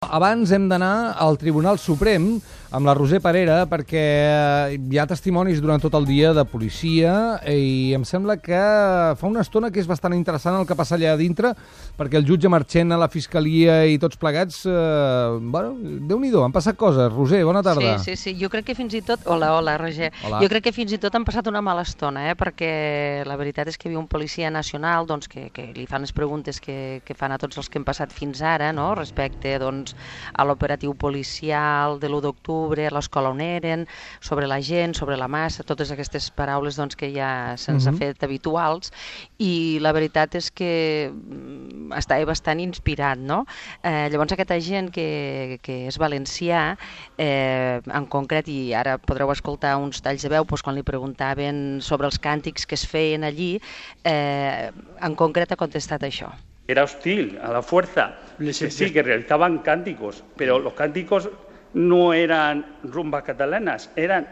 Abans hem d'anar al Tribunal Suprem amb la Roser Parera perquè hi ha testimonis durant tot el dia de policia i em sembla que fa una estona que és bastant interessant el que passa allà dintre perquè el jutge Marchena, la fiscalia i tots plegats, bueno, Déu-n'hi-do, han passat coses. Roser, bona tarda. Sí, jo crec que fins i tot... Hola, Roger. Hola. Jo crec que fins i tot han passat una mala estona, perquè la veritat és que hi havia un policia nacional doncs, que li fan les preguntes que fan a tots els que hem passat fins ara, no? Respecte doncs, a l'operatiu policial de l'1 d'octubre, a l'escola on eren, sobre la gent, sobre la massa, totes aquestes paraules doncs, que ja se'ns ha fet habituals, i la veritat és que estava bastant inspirat, no? Llavors aquest agent que és valencià, en concret, i ara podreu escoltar uns talls de veu doncs, quan li preguntaven sobre els càntics que es feien allí, en concret ha contestat això. Era hostil a la fuerza, sí, que realizaban cánticos, pero los cánticos no eran rumbas catalanas, eran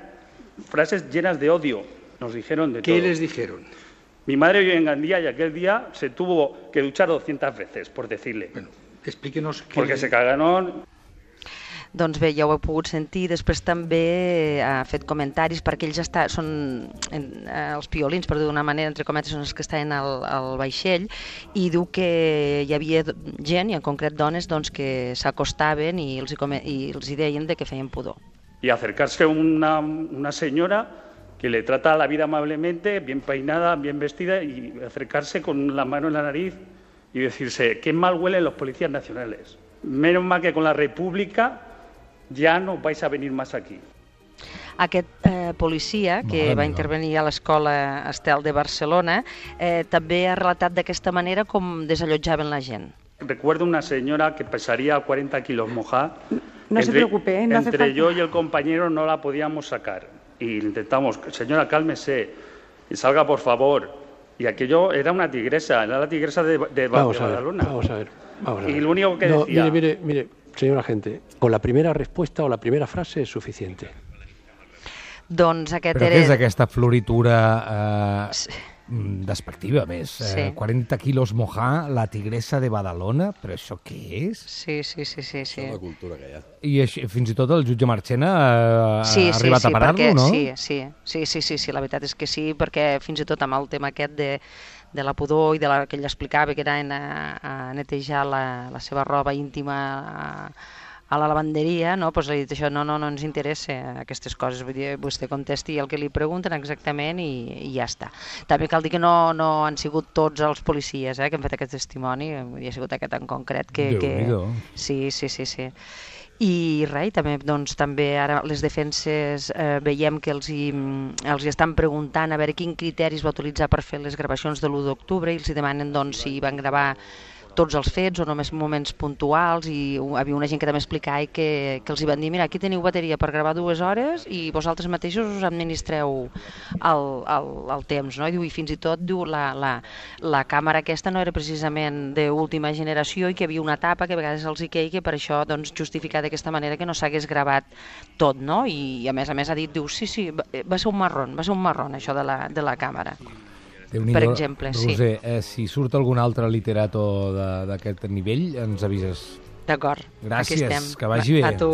frases llenas de odio, nos dijeron de todo. ¿Qué les dijeron? Mi madre vive en Gandía y aquel día se tuvo que duchar 200 veces, por decirle. Bueno, explíquenos qué... Porque se cagaron... Doncs bé, ja ho he pogut sentir. Després també ha fet comentaris perquè ells són els piolins, per dir d'una manera, entre cometes, són els que estaven al vaixell, i diu que hi havia gent, i en concret dones, doncs, que s'acostaven i els deien que feien pudor. Y acercarse una señora que le trata la vida amablemente, bien peinada, bien vestida, y acercarse con la mano en la nariz y decirse, qué mal huelen los policías nacionales. Menos mal que con la República ja no vais a venir más aquí. Aquest policia que va intervenir a l'escola Estel de Barcelona també ha relatat d'aquesta manera com desallotjaven la gent. Recuerdo una señora que pesaría 40 kilos mojada. No se preocupe, no hace falta. Entre yo y el compañero no la podíamos sacar. Y intentamos, señora, cálmese y salga por favor. Y aquello era una tigresa, era la tigresa de Badalona. Vamos a ver. Y lo único que decía... Mire, señor agente, con la primera respuesta o la primera frase es suficiente. Doncs aquest Però què és aquesta floritura despectiva, més? Sí. 40 quilos mojar, la tigresa de Badalona? Però això què és? Sí. Això és la cultura que hi ha. I fins i tot el jutge Marchena ha arribat a parar-lo, no? Sí, la veritat és que sí, perquè fins i tot amb el tema aquest de la pudor i que ell explicava que anaven a netejar la seva roba íntima a la lavanderia, no? Doncs li he dit això, no ens interessa aquestes coses, vull dir, vostè contesti el que li pregunten exactament i ja està. També cal dir que no han sigut tots els policies que han fet aquest testimoni, ha sigut aquest en concret que... Déu-n'hi-do. Sí. I res, també ara les defenses veiem que els hi estan preguntant a veure quin criteris va utilitzar per fer les gravacions de l'1 d'octubre i els demanen si van gravar tots els fets o només moments puntuals, i hi havia una gent que també explicava que els hi van dir, mira, aquí teniu bateria per gravar 2 hores i vosaltres mateixos us administreu el temps, no? I fins i tot diu la càmera aquesta no era precisament d'última generació i que hi havia una tapa que a vegades els hi queia, que per això justificar d'aquesta manera que no s'hagués gravat tot, no? I a més ha dit, diu, sí, va ser un marrón això de la càmera. Per exemple, Roser, si surt algun altre literato d'aquest nivell, ens avises. D'acord, gràcies, aquí estem. Que vagi bé. A tu.